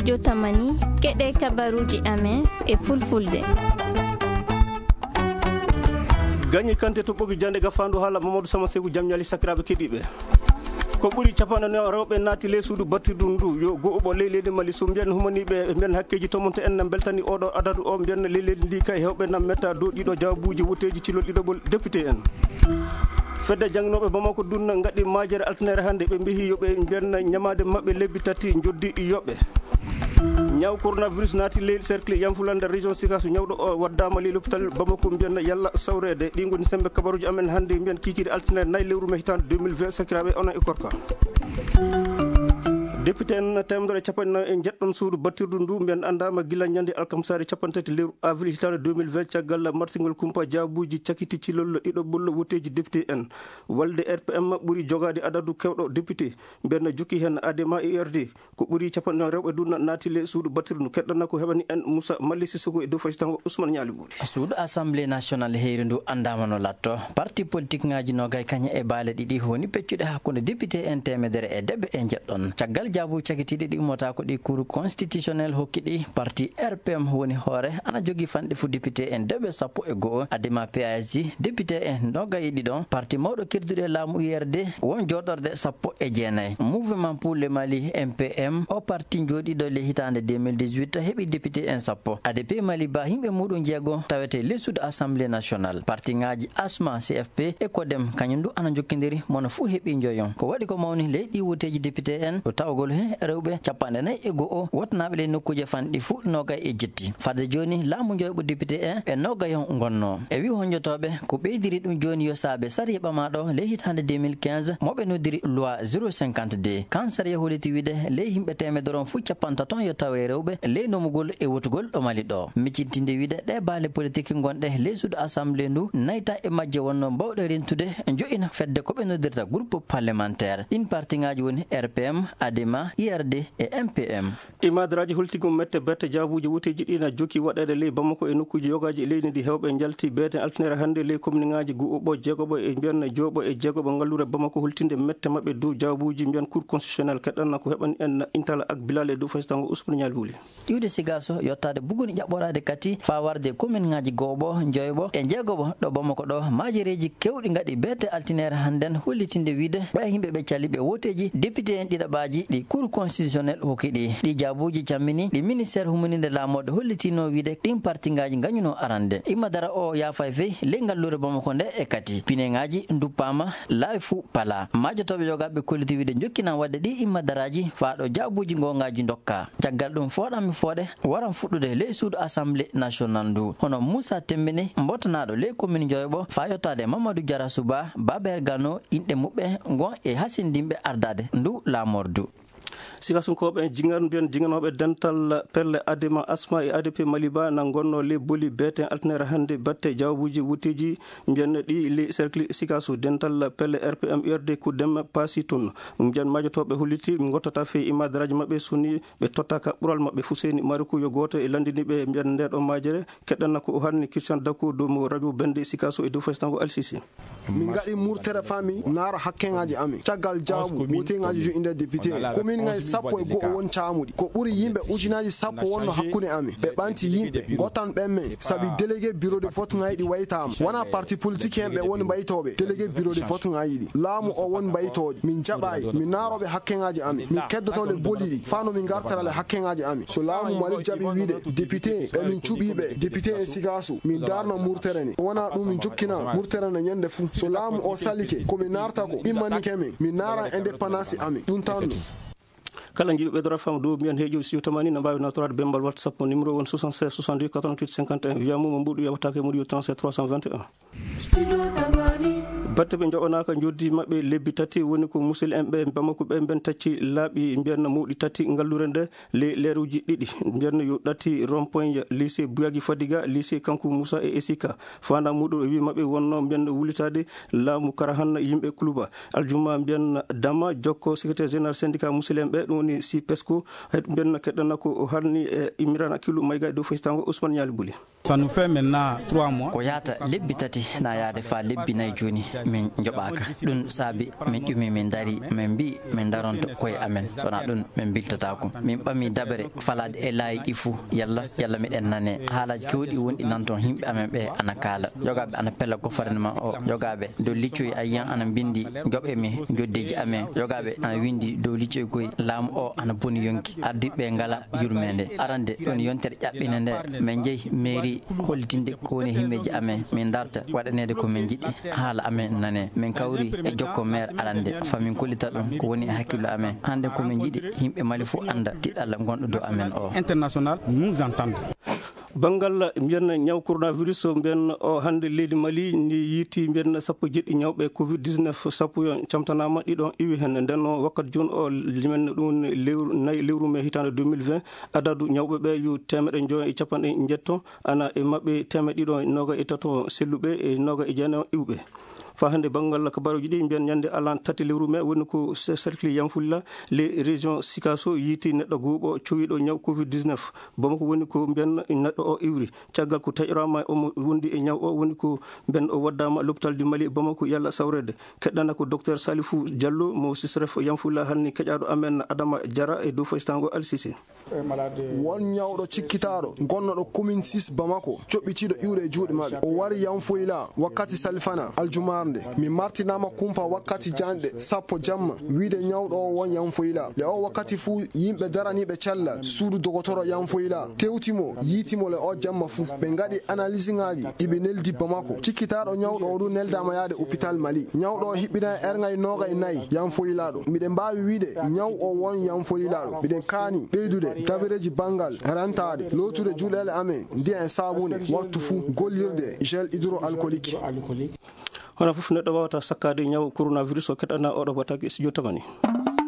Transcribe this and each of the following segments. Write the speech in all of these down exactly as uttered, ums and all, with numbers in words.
Jotamani, keɗe kabaruuji amen e fulfulde. Gañi kante to ɓogi jande gafaandu haala Mamadou Sama Seku, jam ñaali sakiraaɓe keɗiiɓe. Ko ɓuri capanɗe nayo rewɓe naati ley suudu battirdu ndu, yo go'uɓo ley leydi Mali. So mbiyen humaniiɓe, mbiyen hakkeeji tomonto en na mbeltani oɗo adadu o, mbiyen ley leydi ndi kay hewɓe na metta dow ɗiɗo jaabuuji woteeji cilol ɗiɗoɓol député en. Fedde jannginooɓe Bamako dun ngaɗi majere altinere hannde, ɓe mbihi yo ɓe mbiyen ñamaade maɓɓe lebbi tati njoddi yoɓe. Ñaw coronavirus naati ley cercle Yanfulande région Sikasso, ñawɗo o waddaama ley l'hôpital Bamako, mbiyen yalla sawreede. Ɗi ngoni sembe kabaruuji amen hannde, mbiyen kiikiiɗe altine nayi lewru mai hitaande deux mille vingt, sakiraaɓe onon e korka. Député en teemedere e capanɗe nayo e njeɗɗon suudu battirdu ndu, mbiyen anndaama gila ñande alkamsaare capanɗe tati lewru avril hitaande deux mille vingt, caggal martingol kumpa jaabuuji cakiti cilol ɗiɗoɓol woteeji député en. Walde R P M ɓuri jogaade adadu kewɗo député, mbiyen jokki heen Adema U R D. Ko ɓuri capanɗe nayo rewɓe dun naati ley suudu battirdu ndu. Keɗɗana ko heɓani en Moussa Mali Sissoko e dow faytango Ousmane Ñaali Buuri. Suudu Assemblée nationale heyri ndu anndaama no latto. Parti politique ŋaaji nogay kañe e baale ɗiɗi woni peccuɗe hakkunde député en teemedere e debe e njeɗɗon. Caggal jaabu cakitiiɗi ɗi ummata ko ɗi Cour constitutionnelle hokki ɗi, parti R P M woni hoore, ana jogi fanɗe fu député en debe sappo e go'o, Adema P A S J, député en nogay e ɗiɗo, parti mawɗo kirduɗo e laamu U R D won jooɗorde sappo e jeenayi. Mouvement pour le Mali, M P M, o parti jooɗiiɗo ley hitaande deux mille dix-huit heɓi député en sappo. A D P Mali ba yimɓe muɗum jeego tawete ley suudu Assemblée nationale. Parti ŋaaji Asma, C F P e Codem kañum du ana jokkindiri, mono fuu heɓi njoyon. Ko waɗi ko mawni ley ɗi woteeji député en ko tawgol he rewɓe capanɗe nayi e go'o wotnaaɓe ley nokkuuje fanɗi fuu nogay e jetti. Fadde jooni laamu njoyɓo député en ɓe nogayon ngonno. E wi honjotooɓe ko ɓeydiri ɗum jooni yo saabe sariya ɓamaaɗo ley hitaande deux mille quinze mo ɓe noddiri loi zéro cinquante-deux. Kan sariya holliti wiide ley yimɓe teemedere on fuu capantato on yo tawe rewɓe ley nomugol e wotugol ɗo Mali ɗo. Miccitinde wiide ɗe baale politique ngonɗe ley suudu Assemblée ndu nayta e majje wonno mbawɗe rentude jo'ina fedde ko ɓe noddirta groupe parlementaire. Ɗin parti ŋaaji woni R P M, Adema, U R D e M P M. Imadaraaji holtigol mette berte jaabuuji woteeji ɗi na jokki waɗeede ley Bamako e nokkuuji yogaaji e leydi ndi. Hewɓe njalti beete altinere hannde ley kominiŋaaji gu'uɓo jeegoɓo e mbiyan jeegoɓo e jeegoɓo ngalluure Bamako holtinde mette maɓɓe dow jaabuuji mbiyan Cour constitutionnelle. Keɗɗanna ko heɓani en Intala ak Bilal e dow faytango Ousmane Ñaali Buuli. Iwde Sigaso yottaade buguni ƴaɓɓoraade kati faa warde kominiŋaaji go'oɓo, njoyɓo e jeegoɓo ɗo Bamako ɗo, maajereeji kewɗi ngaɗi beete altinere hannden hollitinde wiide ɓe yimɓe ɓe cali ɓe woteeji député en ɗiɗaɓaaji ɗi Cour constitutionnelle hokki ɗi. Ɗi jaabuuji cammini ɗi ministère humininde laamoode hollitinoo wiide ɗin partiŋaaji ngañunoo arande. Immadara o yaafay fey ley ngalluure Bamako nde e kati. Pineŋaaji nduppaama, laawi fuu palaa. Maajotooɓe yogaaɓe kolliti wiide njokkinan waɗde ɗi immadaraaji faa ɗo jaabuuji ngoongaaji ndokkaa. Caggal ɗum fooɗanmi fooɗe waran fuɗɗude ley suudu Assemblée nationale ndu. Hono Moussa Tembene, mbotanaaɗo ley commune Njoyoɓo, faa yottaade Mamadou Diarra Souba, Baber Gano, inɗe muɓɓe ngon e hasindinɓe ardaade ndu laamordu. Sikasunkooɓe en jingan mbiyan jinganooɓe dental pelle Adema Asma e A D P Maliba na ngonnoo ley boli beeten altinere hannde batte jawaabuuji wutteeji mbiyan ɗi ley cercle Sikaso. Dental pelle R P M U R D ko dem paasi toon. Mbiyan maajotooɓe holliti ɓe ngottata fey imadaraaji maɓɓe soni ɓe tottaaka ɓural maɓɓe. Fuseni Mariku yo gooto e lanndiniiɓe mbiyan ndeeɗo maajere. Keɗɗanna ko o haalni Christian Dakodo mo radio Bende Sikaso e dow faysango Al Sisi. Min ngaɗi murtere faa min naara hakkeŋaaji amin. Caggal jaabu, wooteŋaaji joƴƴinde député. Kominŋaaji sappo e go'o won caamuɗi. Ko ɓuri yimɓe ujunaaji sappo wonno hakkunde amin. Ɓe ɓanti yimɓe, ngottan ɓen men, sabi délégué bureau de vote ŋaaji ɗi waytaama. Wonaa parti politique en ɓe woni mbaytooɓe délégué bureau de vote ŋaaji ɗi. Laamu o woni mbaytoojo. Min jaɓaay, min naarooɓe hakkeŋaaji amin. Min keddoto le boli ɗi, faa no min ngartara le hakkeŋaaji amin. So laamu Mali jaɓi wiide député, e min cuɓii ɓe député e Sikaso, min daarna murtere ne. Wonaa ɗum min jokkinaa murtere ne ñande fuu. So laamu o salike, ko min naarta ko immanike min, min naaran indépendance amin. Ɗum tan no. Kala jiɗo ɓeydora fam dow mbiyan heejo siyo tamani na mbaawi nawtoraade bembal WhatsApp mo numéro won soixante-seize soixante-dix quatre-vingt-huit cinquante et un. Wiya mum mo mbuɗu yawtaake mbuɗu yo trente-sept trois cent vingt et un. Batte ɓe njoɓanaaka njoddi maɓɓe lebbi tati woni ko musidɓe en ɓe Bamako ɓe mben tacci laaɓi mbiyan mawɗi tati ngalluure nde ley leeruuji ɗiɗi. Mbiyan yo ɗati rond-point lycée Bouyagui Fadiga, lycée Kankou Moussa e Esika. Faandaa muɗum e wi maɓɓe wonno mbiyan wulitaade laamu Karahan yimɓe Kuluba. Aljuma mbiyan Dama Jokko, secrétaire général syndicat musidɓe en ɓe, ɗum woni si pesco. Hay mbiyan keɗɗana ko o haalni e Imran Akilu Mayga e dow faysango Ousmane Ñaali Buli. Ça nous fait maintenant trois mois. Ko yaata lebbi tati na yaade faa lebbi nayi jooni. Min njoɓaaka. Ɗum saabi min ƴumi, min ndarii, min mbii min ndaronto koye amen. So wonaa ɗum, min mbiltataako. Min ɓami daɓere falaade e laayi ɗi fuu. Yalla, yalla miɗen nanee. Haalaaji keewɗi wonɗi nan toon, yimɓe amen ɓe ana kaala. Yogaaɓe ana pella gouvernement o. Yogaaɓe dow liccoy a yiyan ana mbinndi, njoɓee mi joddeeji amen. Yogaaɓe ana winndi dow liccoy koy, laamu o ana boni yonki. Ardiiɓe ɓe ngalaa yurmeende. Arande ɗum yontere ƴaɓɓinde nde, min njehi mairie hollitinde ko woni himmeeji amen. Min ndarta waɗaneede ko min njiɗi. Haala amen nanee. Min kawri e jokko maire arande, faa min kollita ɗum ko woni e hakkillo amen. Hannde ko min njiɗi yimɓe Mali fof annda tiɗalla ngonɗo dow amen o. International nous entende. Banngal mbiyen ñaw coronavirus, mbiyen o hannde leydi Mali ndi yiiti mbiyen sappo e jeɗɗi ñawɓe covid dix-neuf, sappo yo camtanaama, ɗiɗo iwi heen. Nden o wakkati jooni o, limen ɗum lewru, nayi lewru mee hitaande deux mille vingt, adadu ñawɓe ɓe yo teemeɗɗe njoyo e capanɗe njeeto, ana e maɓɓe teemeɗɗe ɗiɗo e noga e tato selluɓe e noga e jeenayo iwɓe. Faa hannde banngal kabaaruuji ɗi mbiyen ñande alan tati lewru mee woni ko se-, cercle Yamfulla, les régions Sikaso yiiti neɗɗo gooto cowiiɗo ñaw covid dix-neuf. Bamako woni ko mbiyen neɗɗo o iwri. Caggal ko taƴoraama omo wondi e ñaw o woni ko mbiyen o waddaama l'hôpital du Mali Bamako yalla sawreede. Keɗɗana ko docteur Salifou Diallo mo sisref Yamfulla halni keƴaaɗo amen Adama Diarra e dow faystaango Al Sisi. Won ñawɗo cikkitaaɗo gonnoɗo commune six Bamako, coɓɓitiiɗo iwre e juuɗe maɓɓe. O wari Yamfoyla wakkati salfana aljumaarnde. Mi martinaama kumpa wakkati janɗe sappo jamma, wiide ñawɗo o won Yamfoyla. Le o wakkati fuu yimɓe daraniiɓe cellal suudu dogotoro Yamfoyla tewti mo, yiiti mo le o jamma fuu. Ɓe ngaɗi analysiŋaaji, iɓe neldi Bamako. Cikkitaaɗo ñawɗo o du neldaama yaade hôpital Mali. Ñawɗo o hiɓɓinay erŋay noogay nayi Yamfoyla ɗo. Miɗen mbaawi wiide ñaw o won Yamfoyla ɗo. Miɗen kaani ɓeydude dabareeji banngal rentaade, lootude juuɗeele amen, ndiyan e saabune, wattu fuu gollirde gel hydroalcoolique. Hono fof neɗɗo waawata sakkaade ñaw coronavirus o, keɗɗana oɗo bataki studio Tamani.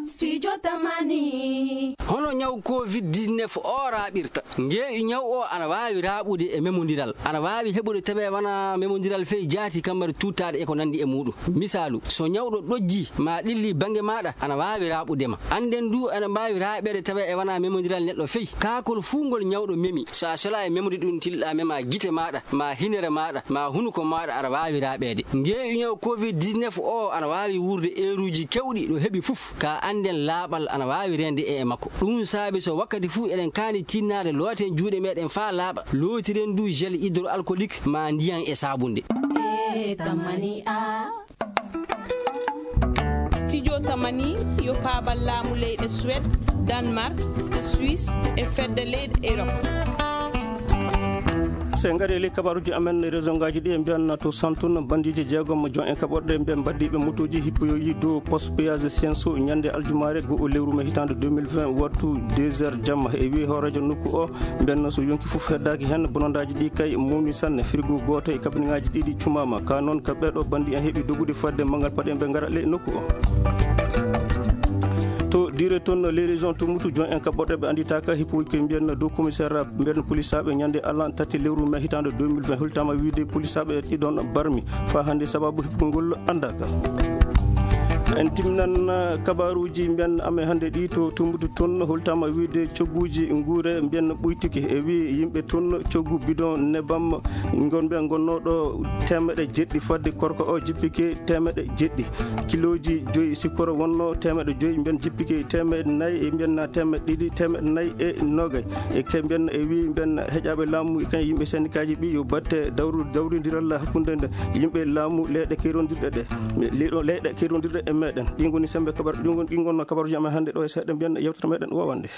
Studio Tamani. Hono ñaw covid dix-neuf o raaɓirta? Ngeeƴu ñaw o ana waawi raaɓude e memondiral. Ana waawi heɓude tawi wona memondiral fey jaati, kammari tuuttaaɗe e ko nanndi e muuɗum. Misaalu, so ñawɗo ɗojji ma ɗilli bannge maaɗa, ana waawi raaɓude ma. Annden du, ana mbaawi raaɓeede tawi e wona memondiral neɗɗo fey. Kaakol fuu ngol ñawɗo memi, so a sela e memde ɗum, tilɗa mema gite maaɗa, ma hinere maaɗa, ma hunuko maaɗa, aɗa waawi raaɓeede. Ngeeƴu ñaw covid dix-neuf o ana waawi wuurde eeruuji keewɗi ɗo heɓi fof, ka annden laaɓal ana waawi reende e, e makko. Ɗum saabi so wakkati fuu eɗen kaani tinnaade, looten juuɗe meɗen faa laaɓa, lootiren du gel hydroalcoolique ma ndiyan e saabunde. E Tamani a. Studio Tamani yo paabal laamu leyɗe Suède, Danemark, Suisse e fedde leyɗe Europe. So en ngarii e ley kabaaruuji amen, région ngaaji ɗi, en mbiyan to Santun, bandiiji jeegom jon en kaɓorɗe ɓe mbaddiiɓe motooji hippoyoyi dow poste péage Senso ñande aljumaare goo lewru mee hitaande deux mille vingt, wattu deux heures jamma. E wi'i hooreejo nokku o, mbiyen so yonki fof heddaaki heen, bonondaaji ɗi kay mawni sanne. Frigo gooto e kabineŋaaji ɗiɗi cumaama. Ka noon ka ɓeeɗo banndi en heɓi dogude fodde manngal paɗe ɓe ngara ley nokku o. To dire toon les régions to Mbutu, jon en kaɓorɗe ɓe annditaaka hippuuji koye mbiyen dow commissaire mbiyen polisaaɓe ñande alan tati lewru mee hitaande deux mille vingt, holtaama wiide polisaaɓe ɗiɗon barmi. Faa hannde sababu hippugol ngol anndaaka. En timminan, uh, kabaaruuji mbiyen amen hannde ɗi to Tumbutu toon, holtaama wiide cogguuji nguure mbiyen ɓuytike. E wi'i yimɓe toon coggu bidon nebam ngon ɓe ngonnooɗo teemeɗe jeɗɗi fodde korka o jippike teemeɗe jeɗɗi. Kilooji joyi sikkoro wonnoo teemeɗe joyi mbiyen jippike teemeɗe nayi e mbiyen teemeɗe ɗiɗi teemeɗe nayi e nogay. E ke mbiyen e wi'i mbiyen heƴaaɓe laamu e kañ yimɓe sendikaaji ɓi yo batte dawru-, dawrindiral hakkunde nde yimɓe laamu leyɗe kerondirɗe ɗe. Leyɗo-, leyɗe kerondirɗe e meɗen. Ɗi ngoni sembe kabar-, ɗi ngon-, ɗi ngonno kabaruuji amen hannde ɗo e seeɗa mbiyen yewtere meɗen wowande.